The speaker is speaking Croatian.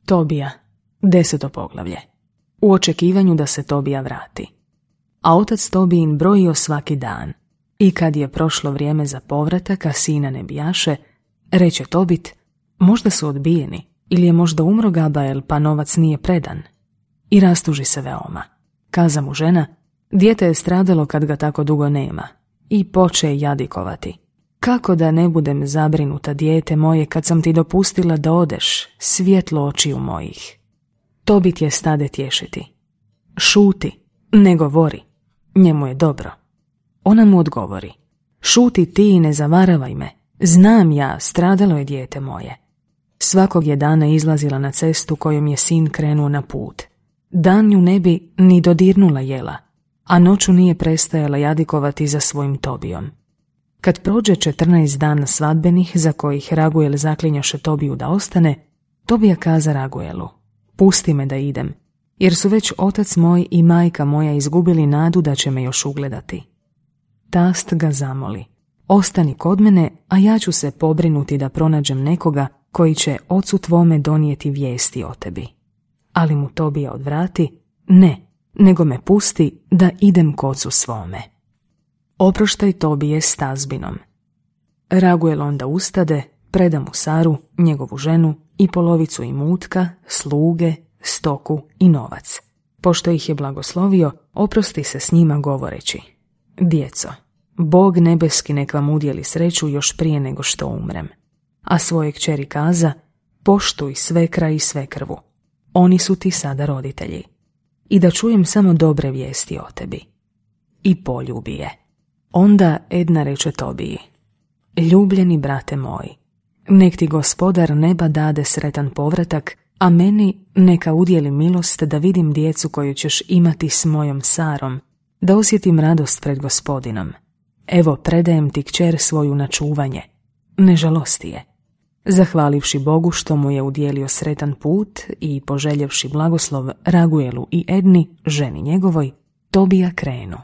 Tobija, 10. poglavlje. U očekivanju da se Tobija vrati. A otac Tobijin brojio svaki dan. I kad je prošlo vrijeme za povratak, a sina ne bijaše, reče Tobit, možda su odbijeni, ili je možda umro Gabael, pa novac nije predan. I rastuži se veoma. Kaza mu žena, dijete je stradalo kad ga tako dugo nema. I poče jadikovati. Kako da ne budem zabrinuta, dijete moje, kad sam ti dopustila da odeš, svjetlo očiju mojih. Tobit je stade tješiti. Šuti, ne govori, njemu je dobro. Ona mu odgovori, šuti ti i ne zavaravaj me, znam ja, stradalo je dijete moje. Svakog je dana izlazila na cestu kojom je sin krenuo na put. Dan nju ne bi ni dodirnula jela, a noću nije prestajala jadikovati za svojim Tobijom. Kad prođe 14 dana svadbenih za kojih Raguel zaklinjaše Tobiju da ostane, Tobija kaza Raguelu, pusti me da idem, jer su već otac moj i majka moja izgubili nadu da će me još ugledati. Tast ga zamoli, ostani kod mene, a ja ću se pobrinuti da pronađem nekoga koji će ocu tvome donijeti vijesti o tebi. Ali mu Tobija odvrati, ne, nego me pusti da idem k ocu svome. Oproštaj Tobije s tazbinom. Raguel onda ustade, preda mu Saru, njegovu ženu, i polovicu imutka, sluge, stoku i novac. Pošto ih je blagoslovio, oprosti se s njima govoreći, djeco, Bog nebeski nek vam udjeli sreću još prije nego što umrem. A svoje kćeri kaza, poštuj svekra i svekrvu. Oni su ti sada roditelji. I da čujem samo dobre vijesti o tebi. I poljubi je. Onda Edna reče Tobiji, ljubljeni brate moji, nek ti gospodar neba dade sretan povratak, a meni neka udjeli milost da vidim djecu koju ćeš imati s mojom Sarom, da osjetim radost pred gospodinom. Evo predajem ti kćer svoju na čuvanje, ne žalosti je. Zahvalivši Bogu što mu je udjelio sretan put i poželjevši blagoslov Raguelu i Edni, ženi njegovoj, Tobija krenu.